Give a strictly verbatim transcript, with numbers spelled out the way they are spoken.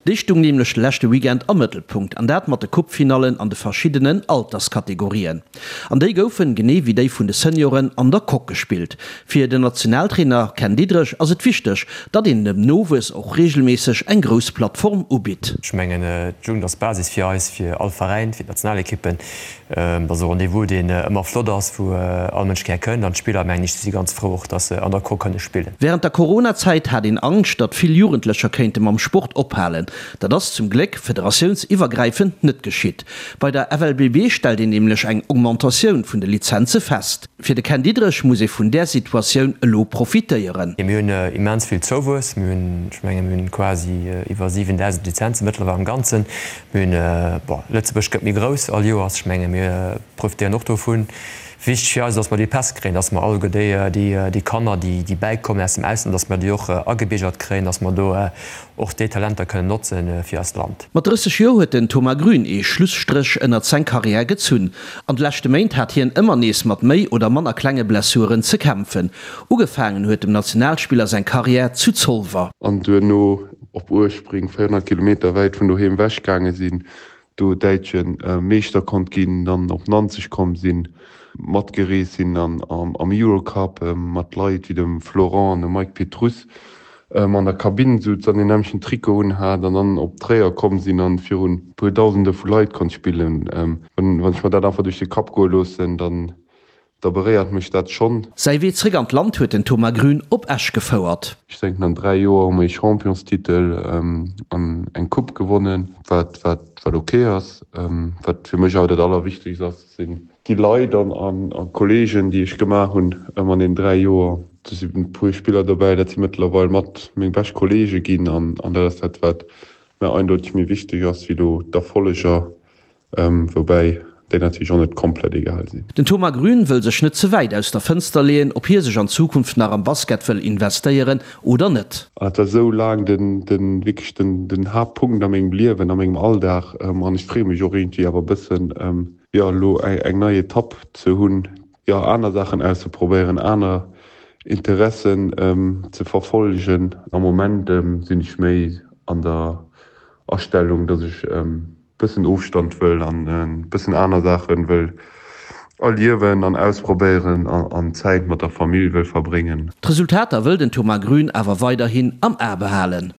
Déi stung nämlech de leschte Weekend am Mëttelpunkt, an dat mat de Coupe-Finallen an de verschiddenen Alterskategorien. An déi goufen, genee wéi déi vun de Senioren, an der Coque gespillt. Fir den Nationaltrainer Ken Diederich ass et wichteg, datt een dem Nowuess och reegelméisseg eng grouss Plattform ubitt. Ech mengen, d'Jugend ass d'Basis fir eis, fir all Veräin, fir d'Nationalekippen. Dat ass e Rendez-vous, deen ëmmer flott ass, wou all Mënsch gär kënnt. An d'Spiller, mengen ech, si ganz frou och, datt se an der Coque kënne spillen. Wärend der Coronazäit hat een Angscht, datt vill Jugendlecher kéinte mam Sport ophalen. Dat ass zum Gléck federatiounsiwwergräifend net geschitt. Bei der F L B B stellt een nämlech eng Augmentatioun vun de Lizenze fest. Fir de Ken Diederich muss ee vun där Situatioun elo profitéieren. Mir hunn immens vill Zouwuess. Mir hunn, ech mengen, mir hunn quasi iwwer siwendausend Lizenze mëttlerweil am Ganzen. Mir hunn, bon, Lëtzebuerg gëtt méi grouss all Joers. Ech mengen, mir profitéieren och dovun. Wichteg fir eis ass, dass mer déi Päss kréien, dass mer alleguer déi, déi, déi Kanner, déi, déi bäikommen aus dem Ausland, dass mer déi och agebiergert kréien, dass mer do och déi Talenter kënnen notzen fir eist Land. Mat drësseg Joer huet den Thomas Grün ee Schlusstréch ënnert seng Karriär gezunn. An de leschte Méint hat hien ëmmer nees mat méi oder manner klenge Blessuren ze kämpfen. Ugefaangen huet dem Nationalspiller seng Karriär zu Zolwer. An duerno op Uespring, véierhonnert Kilometer wäit vun doheem ewech gaange sinn, do däitsche Meeschter konnt ginn, dann op Nanzeg komm sinn, matgereest sinn an am Eurocup mat Leit wéi dem Florent an dem Mike Petrus an der Kabinn sutz an den nämlechen Trikot un hat an dann op Tréier komm sinn an virun e puer Dausende vu Leit konnt spillen. Wann ech mer dat einfach duerch de Kapp goe loossen, dann da beréiert mech dat schonn. Säi Wee zréck an d'Land huet den Thomas Grün op Esch gefouert. Ech denken, an dräi Joer hu mer ee Championstitel an eng Coupe gewonnen, wat, wat, wat ok ass. Wat fir mech awer dat Allerwichtegst ass, sinn déi Leit an, an, an Kolleegen, déi ech gemaach hunn an den dräi Joer. Do sinn e puer Spiller dobäi, dat si mëttlerweil mat meng bescht Kolleege ginn an, an dat ass dat, wat mir eindeutig méi wichteg ass wéi do d'Erfolleger, woubäi déi natierlech och net komplett egal sinn. Den Thomas Grün wëll sech net ze wäit aus der Fënster leeën, ob hie sech an Zukunft nach am Basket wëll investéieren oder net. An dat war esou laang den, den, wierklech den, den Haaptpunkt a mengem Liewen, a mengem Alldag. An ech freeë mech och iergendwéi awer e bëssen, jo, elo eng, eng nei Etapp ze hunn, jo, aner Saachen auszeprobéieren, aner Interessen ze verfollegen. Am Moment sinn ech méi an der Astellung, datt ech bëssen Ofstand wëll an e bëssen aner Saachen wëll erliewen an ausprobéieren an Zäit mat der Famill wëll verbréngen. D'Resultater wëll den Thomas Grün awer weiderhin am A behalen.